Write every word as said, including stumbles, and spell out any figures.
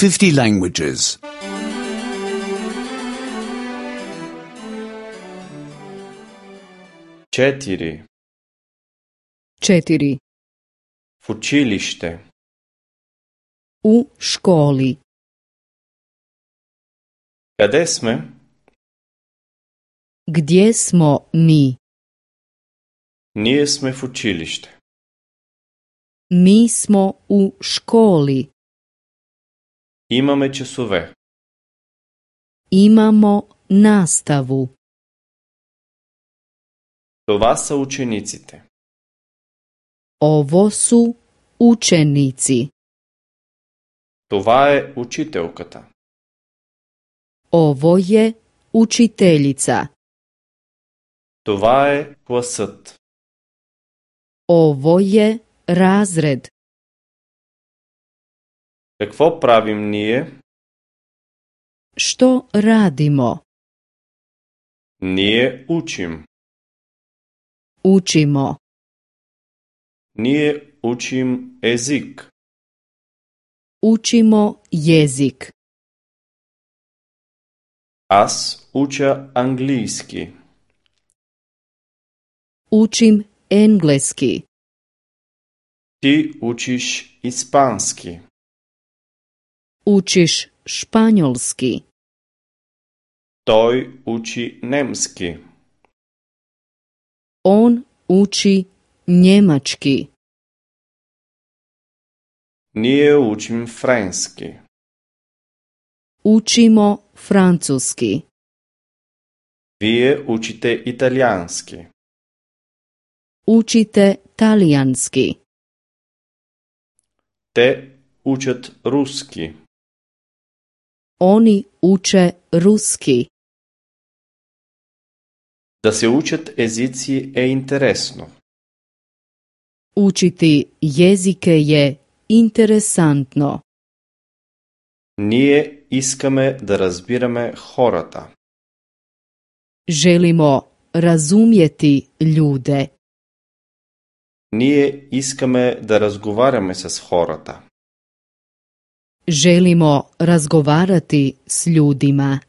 fifty languages. Четири. Četiri. В училище. U školi. Къде сме? Gdje smo mi? Ние сме в училище. Mi smo u školi. Имаме часове. Imamo nastavu. Това са учениците. Ovo su učenici. Това е учителката. Ovo je učiteljica. Това е класът. Ovo je razred. Какво правим ние? Što radimo? Ние учим. Učimo. Ние учим език. Učimo jezik. Аз уча английски. Učim engleski. Ти учиш испански. Učiš španjolski. Той учи немски. On uči njemački. Ние учим френски. Učimo francuski. Вие учите италиански. Učite talijanski. Те учат руски. Oni uče ruski. Да се учат езици е интересно. Učiti jezike je interesantno. Ние искаме да разбираме хората. Želimo razumjeti ljude. Ние искаме да разговаряме с хората. Želimo razgovarati s ljudima.